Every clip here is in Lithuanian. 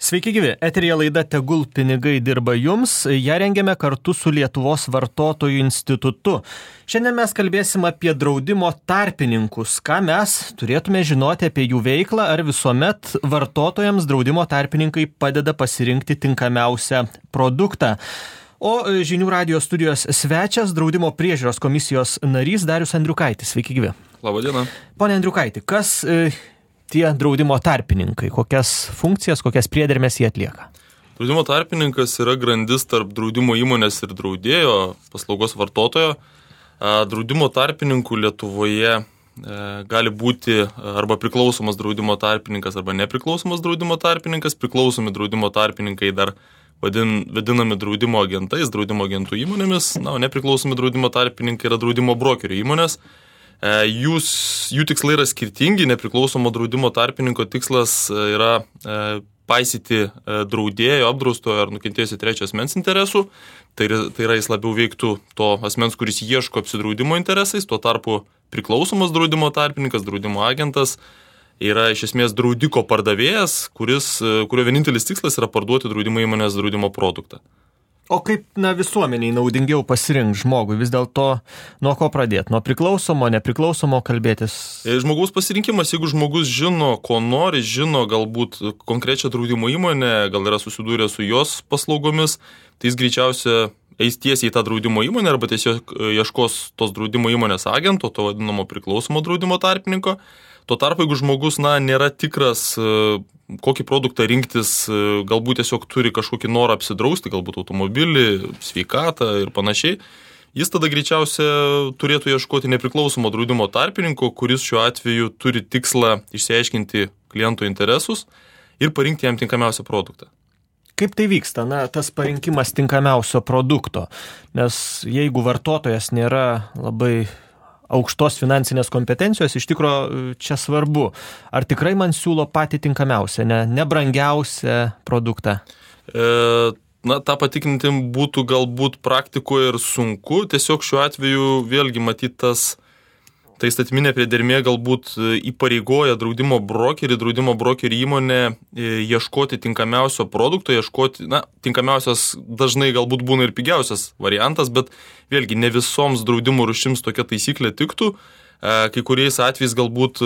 Sveiki gyvi, eteryje laida Tegul pinigai dirba jums, ją rengiame kartu su Lietuvos vartotojų institutu. Šiandien mes kalbėsim apie draudimo tarpininkus, ką mes turėtume žinoti apie jų veiklą, ar visuomet vartotojams draudimo tarpininkai padeda pasirinkti tinkamiausią produktą. O žinių radijo studijos svečias, draudimo priežiūros komisijos narys Darius Andriukaitis. Sveiki gyvi. Labadiena. Pone Andriukaiti, kas tie draudimo tarpininkai, kokias funkcijas, kokias priedermės jie atlieka? Draudimo tarpininkas yra grandis tarp draudimo įmonės ir draudėjo, paslaugos vartotojo. Draudimo tarpininkų Lietuvoje gali būti arba priklausomas draudimo tarpininkas, arba nepriklausomas draudimo tarpininkas. Priklausomi draudimo tarpininkai dar vadinami draudimo agentais, draudimo agentų įmonėmis. O nepriklausomi draudimo tarpininkai yra draudimo brokerių įmonės. Jų tikslai yra skirtingi, nepriklausomo draudimo tarpininko tikslas yra paisyti draudėjo, apdraustojo ar nukentėjusio trečio asmens interesų. Tai yra jis labiau veiktų to asmens, kuris ieško apsidraudimo interesais, tuo tarpu priklausomas draudimo tarpininkas, draudimo agentas yra iš esmės draudiko pardavėjas, kurio vienintelis tikslas yra parduoti draudimo įmonės draudimo produktą. O kaip visuomeniai naudingiau pasirinkti žmogui? Vis dėlto nuo ko pradėti? Nuo priklausomo, nepriklausomo kalbėtis? Žmogaus pasirinkimas, jeigu žmogus žino, ko nori, žino galbūt konkrečią draudimo įmonę, gal yra susidūrę su jos paslaugomis, tai jis greičiausia eis tiesiai į tą draudimo įmonę arba tiesiog ieškos tos draudimo įmonės agento, to vadinamo priklausomo draudimo tarpininko. Tuo tarpu, jeigu žmogus nėra tikras, kokį produktą rinktis, galbūt tiesiog turi kažkokį norą apsidrausti, galbūt automobilį, sveikatą ir panašiai, jis tada greičiausia turėtų ieškoti nepriklausomo draudimo tarpininko, kuris šiuo atveju turi tikslą išsiaiškinti kliento interesus ir parinkti jam tinkamiausią produktą. Kaip tai vyksta, tas parinkimas tinkamiausio produkto? Nes jeigu vartotojas nėra labai aukštos finansinės kompetencijos, iš tikro čia svarbu. Ar tikrai man siūlo patį tinkamiausią, ne brangiausią produktą? Ta patikrinti būtų galbūt praktikoje ir sunku. Tiesiog šiuo atveju vėlgi matytas ta įstatyminė priedermė galbūt įpareigoja draudimo brokerį įmonę ieškoti tinkamiausio produkto, tinkamiausias dažnai galbūt būna ir pigiausias variantas, bet vėlgi ne visoms draudimo rūšims tokia taisyklė tiktų. Kai kuriais atvejais galbūt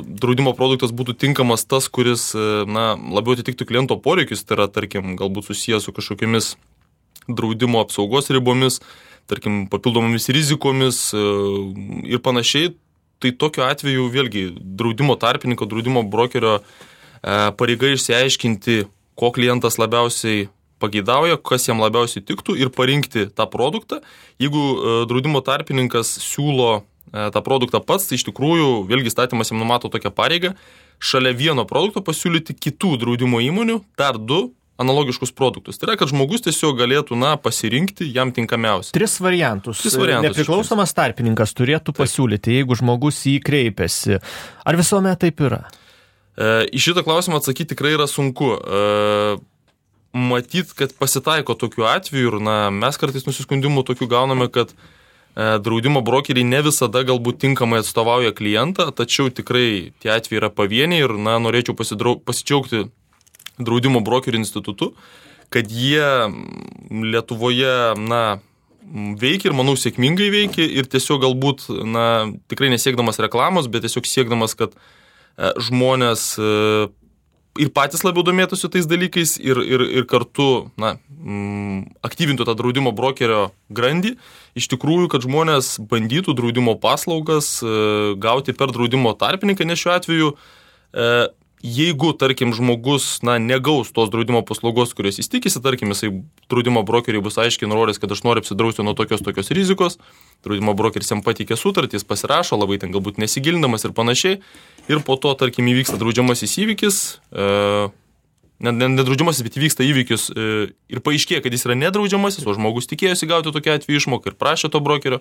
draudimo produktas būtų tinkamas tas, kuris labiau atitiktų kliento poreikius, tai yra, tarkim, galbūt susijęs su kažkokiamis draudimo apsaugos ribomis, tarkim, papildomomis rizikomis ir panašiai, tai tokiu atveju vėlgi draudimo tarpininko, draudimo brokerio pareiga išsiaiškinti, ko klientas labiausiai pageidauja, kas jam labiausiai tiktų ir parinkti tą produktą. Jeigu draudimo tarpininkas siūlo tą produktą pats, tai iš tikrųjų vėlgi įstatymas jam numato tokią pareigą šalia vieno produkto pasiūlyti kitų draudimo įmonių dar 2 analogiškus produktus. Tai yra, kad žmogus tiesiog galėtų pasirinkti jam tinkamiausią. 3 variantus. Nepriklausomas tarpininkas turėtų pasiūlyti, jeigu žmogus jį kreipiasi. Ar visuomet taip yra? Į šitą klausimą atsakyti tikrai yra sunku. Matyt, kad pasitaiko tokių atvejų ir mes kartais nusiskundimų tokių gauname, kad draudimo brokeriai ne visada galbūt tinkamai atstovauja klientą, tačiau tikrai tie atvejai yra pavieniai ir norėčiau pasidžiaugti draudimo brokerių institutu, kad jie Lietuvoje veikia ir, manau, sėkmingai veikia ir tiesiog galbūt, tikrai nesiekdamas reklamos, bet tiesiog siekdamas, kad žmonės ir patys labiau domėtųsi tais dalykais ir kartu, aktyvintų tą draudimo brokerio grandį, iš tikrųjų, kad žmonės bandytų draudimo paslaugas gauti per draudimo tarpininką, nes šiuo atveju jeigu, tarkim, žmogus negaus tos draudimo paslaugos, kurios jis tikisi, tarkim, jisai draudimo brokeriui bus aiškiai nurodęs, kad aš noriu apsidrausti nuo tokios rizikos, draudimo brokeris jam pateikė sutartį, jis pasirašo, labai ten galbūt nesigilindamas ir panašiai, ir po to, tarkim, įvyksta draudžiamasis įvykis, nedraudžiamasis, bet įvyksta įvykis ir paaiškėja, kad jis yra nedraudžiamasis, o žmogus tikėjosi gauti tokią atveju išmoką ir prašė to brokerio,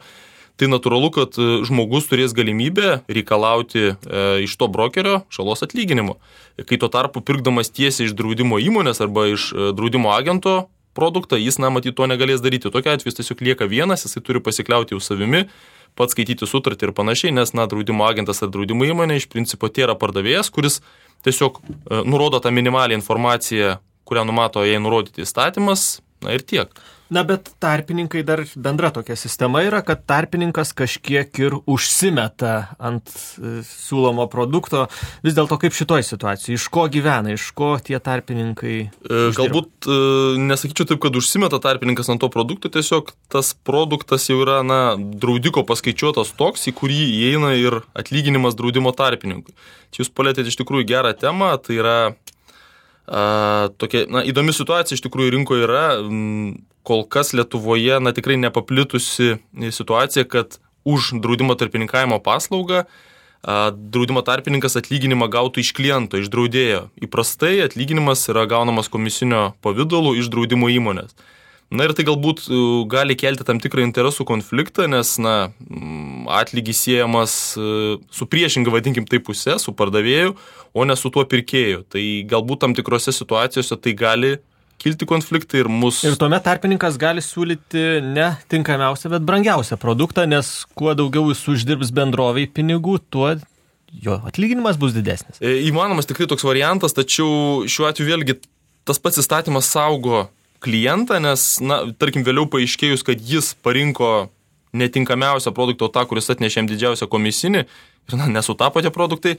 tai natūralu, kad žmogus turės galimybę reikalauti iš to brokerio žalos atlyginimo. Kai tuo tarpu pirkdamas tiesiai iš draudimo įmonės arba iš draudimo agento produktą, jis, matyt, to negalės daryti. Tokiu atveju jis tiesiog lieka vienas, jisai turi pasikliauti jau savimi, pats skaityti sutartį ir panašiai, nes, draudimo agentas ar draudimo įmonė iš principo tai yra pardavėjas, kuris tiesiog nurodo tą minimalią informaciją, kurią numato jai nurodyti įstatymas, na ir tiek. Na, bet tarpininkai dar bendra tokia sistema yra, kad tarpininkas kažkiek ir užsimeta ant siūlomo produkto. Vis dėlto kaip šitoj situacijai? Iš ko gyvena, iš ko tie tarpininkai uždirba? Galbūt nesakyčiau taip, kad užsimeta tarpininkas ant to produkto, tiesiog tas produktas jau yra, draudiko paskaičiuotas toks, į kurį įeina ir atlyginimas draudimo tarpininkui. Čia jūs palėtėte iš tikrųjų gerą temą, tai yra tokia, įdomi situacija iš tikrųjų rinkoje yra. Kol kas Lietuvoje, tikrai nepaplitusi situacija, kad už draudimo tarpininkavimo paslaugą draudimo tarpininkas atlyginimą gautų iš kliento, iš draudėjo. Įprastai atlyginimas yra gaunamas komisinio pavidalu iš draudimo įmonės. Na ir tai galbūt gali kelti tam tikrą interesų konfliktą, nes atlygis siejamas su priešinga, vadinkim tai pusė, su pardavėju, o ne su tuo pirkėju. Tai galbūt tam tikrose situacijose tai gali kilti konfliktai ir Ir tuomet tarpininkas gali siūlyti ne tinkamiausią, bet brangiausią produktą, nes kuo daugiau jis uždirbs bendroviai pinigų, tuo jo atlyginimas bus didesnis. Įmanomas tikrai toks variantas, tačiau šiuo atveju vėlgi tas pats įstatymas saugo klientą, nes, tarkim, vėliau paaiškėjus, kad jis parinko netinkamiausią produktą, tą, kuris atnešė jam didžiausią komisinį ir nesutapo tie produktai,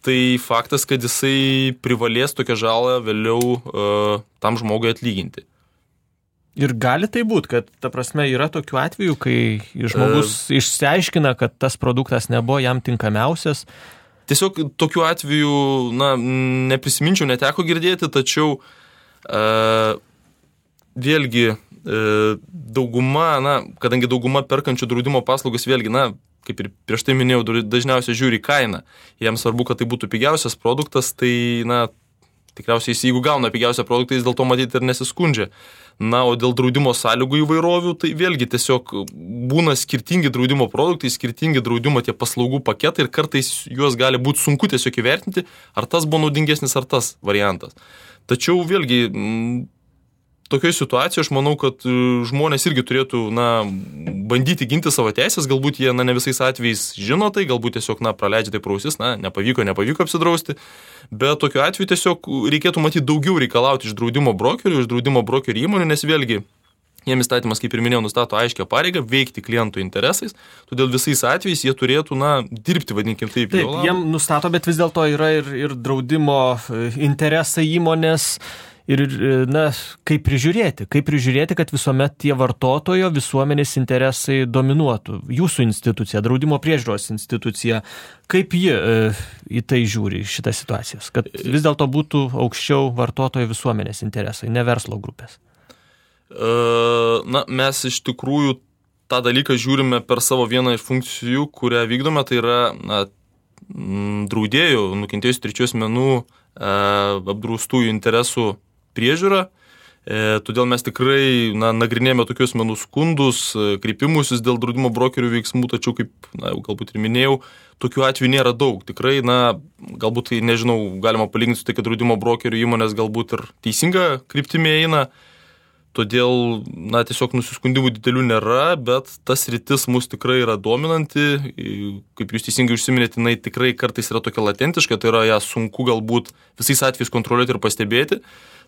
tai faktas, kad jisai privalės tokią žalą vėliau tam žmogui atlyginti. Ir gali tai būti, kad, ta prasme, yra tokių atvejų, kai žmogus išsiaiškina, kad tas produktas nebuvo jam tinkamiausias. Tiesiog tokių atvejų, neprisiminčiau, neteko girdėti, tačiau vėlgi dauguma, kadangi dauguma perkančių draudimo paslaugas vėlgi, kaip ir prieš tai minėjau, dažniausiai žiūri kainą. Jiems svarbu, kad tai būtų pigiausias produktas, tai, tikriausiai jeigu gauna pigiausią produktą, jis dėl to matyti ir nesiskundžia. O dėl draudimo sąlygų įvairovių, tai vėlgi tiesiog būna skirtingi draudimo produktai, skirtingi draudimo tie paslaugų paketai ir kartais juos gali būti sunku tiesiog įvertinti, ar tas buvo naudingesnis, ar tas variantas. Tačiau vėlgi tokioje situacijoje aš manau, kad žmonės irgi turėtų bandyti ginti savo teisės, galbūt jie ne visais atvejais žino tai, galbūt tiesiog praleidžia tai pro ausis, nepavyko apsidrausti, bet tokiu atveju tiesiog reikėtų matyti daugiau reikalauti iš draudimo brokerių, iš draudimo brokerių įmonių, nes vėlgi jiems įstatymas, kaip ir minėjau, nustato aiškią pareigą veikti klientų interesais, todėl visais atvejais jie turėtų dirbti, vadinkim taip. Taip, jiem nustato, bet vis dėlto yra ir draudimo interesai įmonės. Ir, kaip prižiūrėti, kad visuomet tie vartotojo visuomenės interesai dominuotų. Jūsų institucija, draudimo priežiūros institucija, kaip ji į tai žiūri, šitą situaciją, kad vis dėlto būtų aukščiau vartotojo visuomenės interesai, ne verslo grupės? Mes iš tikrųjų tą dalyką žiūrime per savo vieną iš funkcijų, kurią vykdome, tai yra draudėjų, nukentėjusių trečių asmenų apdraustųjų interesų priežiūra, todėl mes tikrai nagrinėjame tokius asmenų skundus, kreipimusis dėl draudimo brokerių veiksmų, tačiau, kaip galbūt ir minėjau, tokių atvejų nėra daug. Tikrai, galbūt, galima palyginti su tai, kad draudimo brokerių įmonės galbūt ir teisinga kryptimi eina, todėl, tiesiog nusiskundimų didelių nėra, bet tas sritis mus tikrai yra dominanti, kaip jūs teisingai užsiminėte, jinai tikrai kartais yra tokia latentiška, tai yra ją sunku galbūt visais atvejais kontroliuoti ir pastebėti,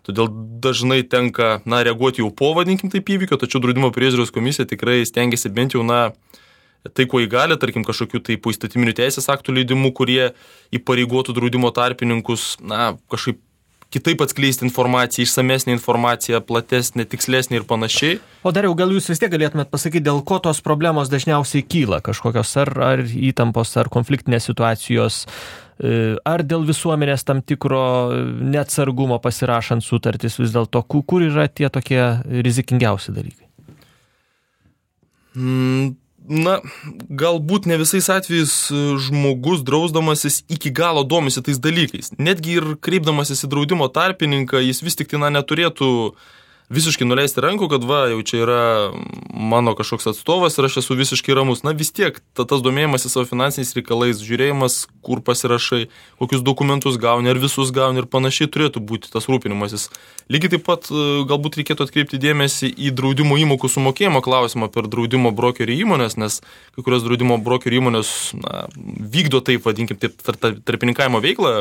todėl dažnai tenka, reaguoti jau po, vadinkim taip, įvykio, tačiau draudimo priežiūros komisija tikrai stengiasi bent jau, tai, ko įgali, tarkim, kažkokių tai poįstatyminių teisės aktų leidimų, kurie įpareigotų draudimo tarpininkus, kažkaip kitaip atskleisti informaciją, išsamesnę informaciją, platesnę, tikslesnę ir panašiai. O Dariau, gal jūs vis tiek galėtumėt pasakyti, dėl ko tos problemos dažniausiai kyla? Kažkokios ar įtampos, ar konfliktinės situacijos, ar dėl visuomenės tam tikro neatsargumo pasirašant sutartis vis dėlto? Kur yra tie tokie rizikingiausi dalykai? Galbūt ne visais atvejais žmogus drausdamasis iki galo domisi tais dalykais. Netgi ir kreipdamasis į draudimo tarpininką, jis vis tik neturėtų visiškai nuleisti rankų, kad va, jau čia yra mano kažkoks atstovas ir aš esu visiškai ramus. Na vis tiek, tas domėjimasis savo finansiniais reikalais, žiūrėjimas, kur pasirašai, kokius dokumentus gauni, ar visus gauni ir panašiai turėtų būti tas rūpinimasis. Lygiai taip pat galbūt reikėtų atkreipti dėmesį į draudimo įmokų sumokėjimo klausimą per draudimo brokerių įmonės, nes kai kurios draudimo brokerių įmonės vykdo taip, vadinkim, tarpininkavimo veiklą.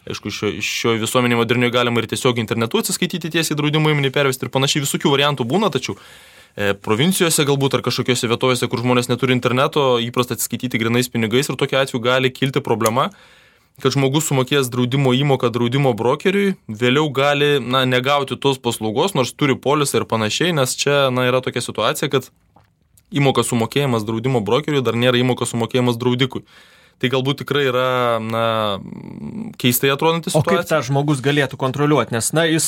Aišku, šio visuomenė modernioje galima ir tiesiog internetu atsiskaityti tiesiai draudimo įmonį pervesti ir panašiai, visokių variantų būna, tačiau provincijose galbūt ar kažkokiose vietovėse, kur žmonės neturi interneto, įprasta atsiskaityti grinais pinigais ir tokiu atveju gali kilti problema, kad žmogus sumokėjęs draudimo įmoką draudimo brokeriui, vėliau gali negauti tos paslaugos, nors turi polisą ir panašiai, nes čia yra tokia situacija, kad įmokas sumokėjimas draudimo brokeriui dar nėra įmokas sumokėjimas draudikui. Tai galbūt tikrai yra keistai atrodanti situacija. O kaip tą žmogus galėtų kontroliuoti? Nes jis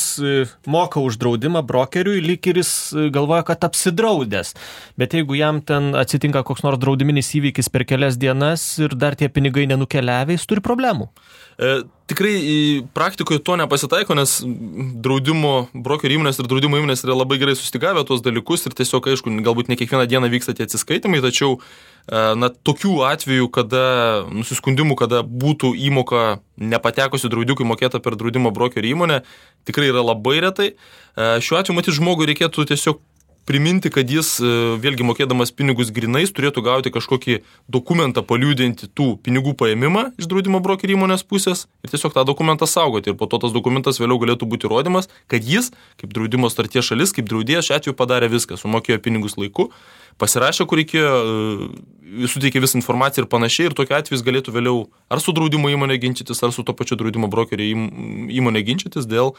moka už draudimą brokeriui, lyg ir jis galvoja, kad apsidraudęs. Bet jeigu jam ten atsitinka koks nors draudiminis įvykis per kelias dienas ir dar tie pinigai nenukeliavę, jis turi problemų. Tikrai praktikoje to nepasitaiko, nes draudimo brokerių įmonės ir draudimo įmonės yra labai gerai sustigavę tuos dalykus ir tiesiog, aišku, galbūt ne kiekvieną dieną vyksta tie atsiskaitimai, tačiau tokių atvejų, nusiskundimų, kada būtų įmoka nepatekusi draudikui mokėta per draudimo brokerių įmonę, tikrai yra labai retai. Šiuo atveju, matyt, žmogui reikėtų tiesiog priminti, kad jis, vėlgi mokėdamas pinigus grinais, turėtų gauti kažkokį dokumentą paliudinti tų pinigų paėmimą iš draudimo brokerių įmonės pusės ir tiesiog tą dokumentą saugoti. Ir po to tas dokumentas vėliau galėtų būti įrodymas, kad jis, kaip draudimo sutarties šalis, kaip draudėjas, šiuo atveju padarė viską, sumokėjo pinigus laiku, pasirašė, kur reikėjo, suteikė visą informaciją ir panašiai, ir tokiu atveju jis galėtų vėliau ar su draudimo įmonė ginčytis, ar su to pačiu draudimo brokerių įmonė ginčytis dėl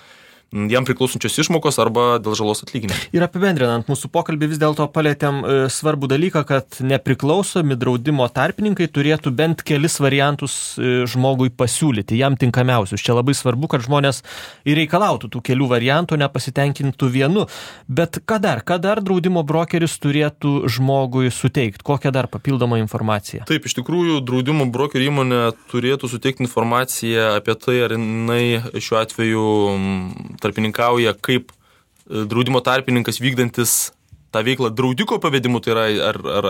jam priklausančios išmokos arba dėl žalos atlyginimo. Ir apibendrinant mūsų pokalbį, vis dėlto palėtėm svarbų dalyką, kad nepriklausomi draudimo tarpininkai turėtų bent kelis variantus žmogui pasiūlyti, jam tinkamiausius. Čia labai svarbu, kad žmonės ir reikalautų tų kelių variantų, nepasitenkintų vienu. Bet ką dar draudimo brokeris turėtų žmogui suteikti? Kokią dar papildomą informaciją? Taip, iš tikrųjų, draudimo brokerių įmonė turėtų suteikti informaciją apie tai, ar jinai šiuo atveju tarpininkauja kaip draudimo tarpininkas vykdantis tą veiklą draudiko pavedimu, tai yra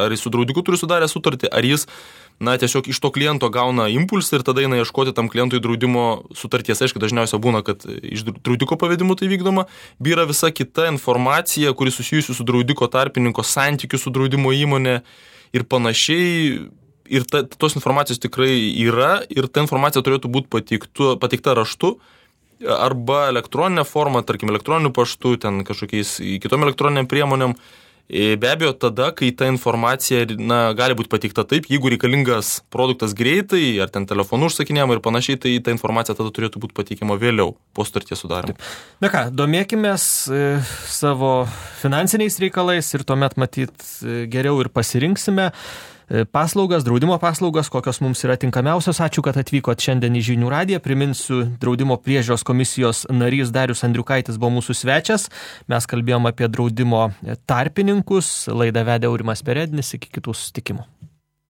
ar jis su draudiku turi sudarę sutartį, ar jis tiesiog iš to kliento gauna impulsą ir tada eina ieškoti tam klientui draudimo sutarties. Aišku, dažniausiai būna, kad iš draudiko pavedimu tai vykdoma, yra visa kita informacija, kuri susijusi su draudiko tarpininko santykiu su draudimo įmonė ir panašiai. Ir tos informacijos tikrai yra ir ta informacija turėtų būti pateikta raštu arba elektroninė forma, tarkim, elektroniniu paštu, ten kažkokiais kitom elektroniniam priemonėm. Be abejo, tada, kai ta informacija gali būti pateikta taip, jeigu reikalingas produktas greitai, ar ten telefonu užsakinėjama ir panašiai, tai ta informacija tada turėtų būti pateikiama vėliau, po sutarties sudarimo. Na ką, domėkimės savo finansiniais reikalais ir tuomet matyt geriau ir pasirinksime paslaugas, draudimo paslaugas, kokios mums yra tinkamiausios. Ačiū, kad atvykot šiandien į Žinių radiją. Priminsiu, draudimo priežiūros komisijos narys Darius Andriukaitis buvo mūsų svečias. Mes kalbėjom apie draudimo tarpininkus. Laidą vedė Aurimas Perednis. Iki kitų susitikimų.